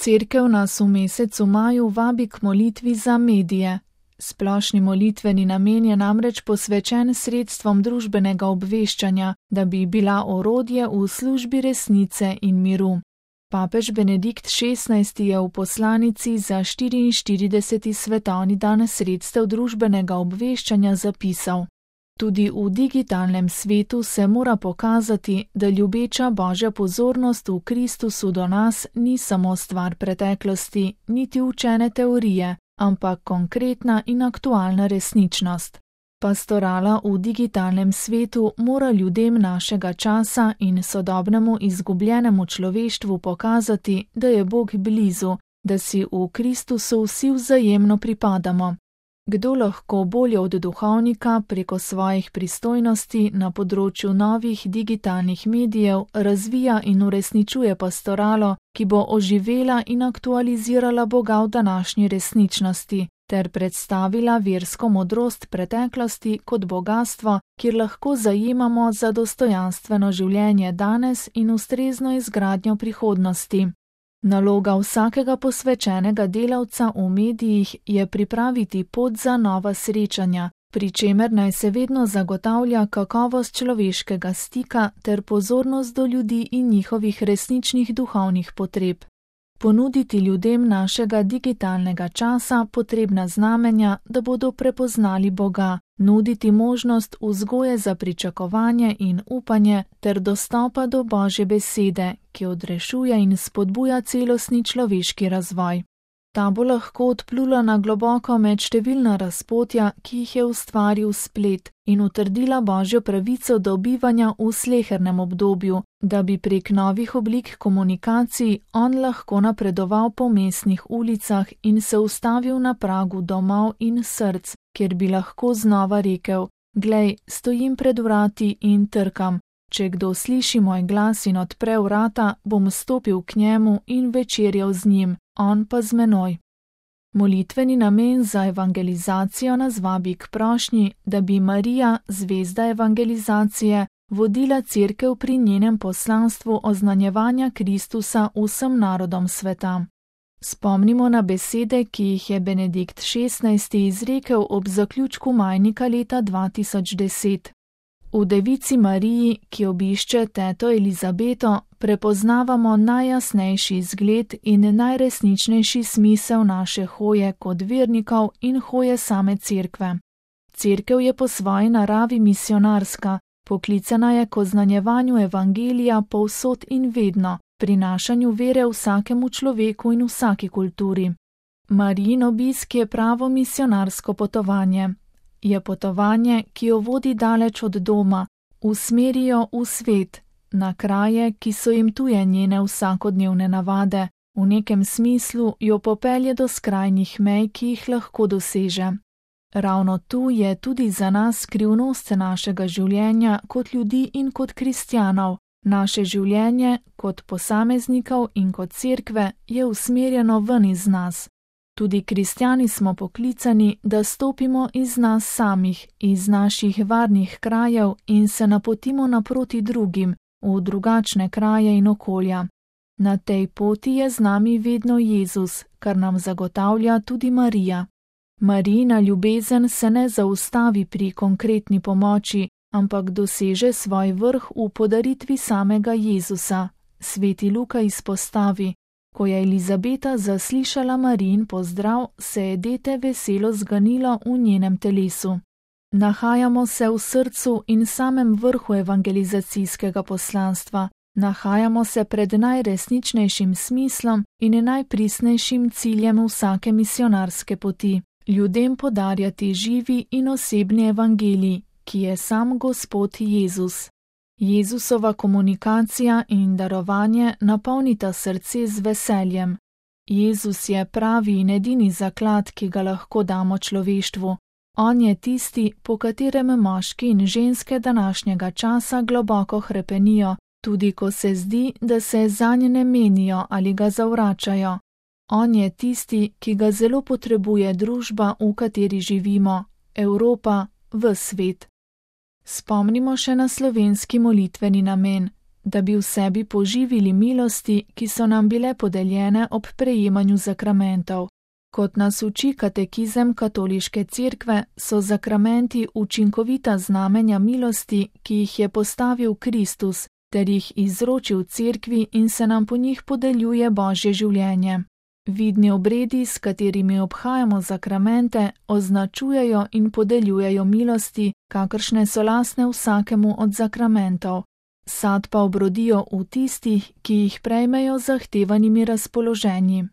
Cerkev nas v mesecu maju vabi k molitvi za medije. Splošni molitveni namen je namreč posvečen sredstvom družbenega obveščanja, da bi bila orodje v službi resnice in miru. Papež Benedikt XVI je v poslanici za 44. svetovni dan sredstev družbenega obveščanja zapisal: Tudi v digitalnem svetu se mora pokazati, da ljubeča Božja pozornost v Kristusu do nas ni samo stvar preteklosti, niti učene teorije, ampak konkretna in aktualna resničnost. Pastorala v digitalnem svetu mora ljudem našega časa in sodobnemu izgubljenemu človeštvu pokazati, da je Bog blizu, da si v Kristusu vsi vzajemno pripadamo. Kdo lahko bolje od duhovnika preko svojih pristojnosti na področju novih digitalnih medijev razvija in uresničuje pastoralo, ki bo oživela in aktualizirala Boga v današnji resničnosti, ter predstavila versko modrost preteklosti kot bogastvo, kjer lahko zajemamo za dostojanstveno življenje danes in ustrezno izgradnjo prihodnosti. Naloga vsakega posvečenega delavca v medijih je pripraviti pot za nova srečanja, pri čemer naj se vedno zagotavlja kakovost človeškega stika ter pozornost do ljudi in njihovih resničnih duhovnih potreb. Ponuditi ljudem našega digitalnega časa potrebna znamenja, da bodo prepoznali Boga, nuditi možnost vzgoje za pričakovanje in upanje ter dostopa do Božje besede, ki odrešuje in spodbuja celostni človeški razvoj. Ta bo lahko odplula na globoko med številna razpotja, ki jih je ustvaril splet, in utrdila Božjo pravico do bivanja v slehernem obdobju, da bi prek novih oblik komunikacij on lahko napredoval po mestnih ulicah in se ustavil na pragu domov in src, kjer bi lahko znova rekel: Glej, stojim pred vrati in trkam. Če kdo sliši moj glas in odpre vrata, bom stopil k njemu in večerjal z njim, on pa z menoj. Molitveni namen za evangelizacijo nas vabi k prošnji, da bi Marija, zvezda evangelizacije, vodila Cerkev pri njenem poslanstvu oznanjevanja Kristusa vsem narodom sveta. Spomnimo na besede, ki jih je Benedikt XVI izrekel ob zaključku majnika leta 2010. V Devici Mariji, ki obišče teto Elizabeto, prepoznavamo najjasnejši zgled in najresničnejši smisel naše hoje kot vernikov in hoje same Cerkve. Cerkev je po svoji naravi misionarska, poklicana je k oznanjevanju evangelija povsod in vedno, prinašanju vere vsakemu človeku in vsaki kulturi. Marijin obisk je pravo misionarsko potovanje. Je potovanje, ki jo vodi daleč od doma, usmeri jo v svet, na kraje, ki so jim tuje njene vsakodnevne navade, v nekem smislu jo popelje do skrajnih mej, ki jih lahko doseže. Ravno tu je tudi za nas skrivnost našega življenja kot ljudi in kot kristjanov. Naše življenje, kot posameznikov in kot Cerkve, je usmerjeno ven iz nas. Tudi kristjani smo poklicani, da stopimo iz nas samih, iz naših varnih krajev in se napotimo naproti drugim, v drugačne kraje in okolja. Na tej poti je z nami vedno Jezus, kar nam zagotavlja tudi Marija. Marijina ljubezen se ne zaustavi pri konkretni pomoči, ampak doseže svoj vrh v podaritvi samega Jezusa. Sveti Luka izpostavi: Ko je Elizabeta zaslišala Marijin pozdrav, se je dete veselo zganilo v njenem telesu. Nahajamo se v srcu in samem vrhu evangelizacijskega poslanstva. Nahajamo se pred najresničnejšim smislom in najpristnejšim ciljem vsake misionarske poti. Ljudem podarjati živi in osebni evangelij, ki je sam Gospod Jezus. Jezusova komunikacija in darovanje napolnita srce z veseljem. Jezus je pravi in edini zaklad, ki ga lahko damo človeštvu. On je tisti, po katerem moški in ženske današnjega časa globoko hrepenijo, tudi ko se zdi, da se zanj ne menijo ali ga zavračajo. On je tisti, ki ga zelo potrebuje družba, v kateri živimo, Evropa, ves svet. Spomnimo še na slovenski molitveni namen, da bi v sebi poživili milosti, ki so nam bile podeljene ob prejemanju zakramentov. Kot nas uči katekizem Katoliške cerkve, so zakramenti učinkovita znamenja milosti, ki jih je postavil Kristus, ter jih izročil cerkvi in se nam po njih podeljuje Božje življenje. Vidni obredi, s katerimi obhajamo zakramente, označujejo in podeljujejo milosti, kakršne so lastne vsakemu od zakramentov. Sad pa obrodijo v tistih, ki jih prejmejo z zahtevanimi razpoloženji.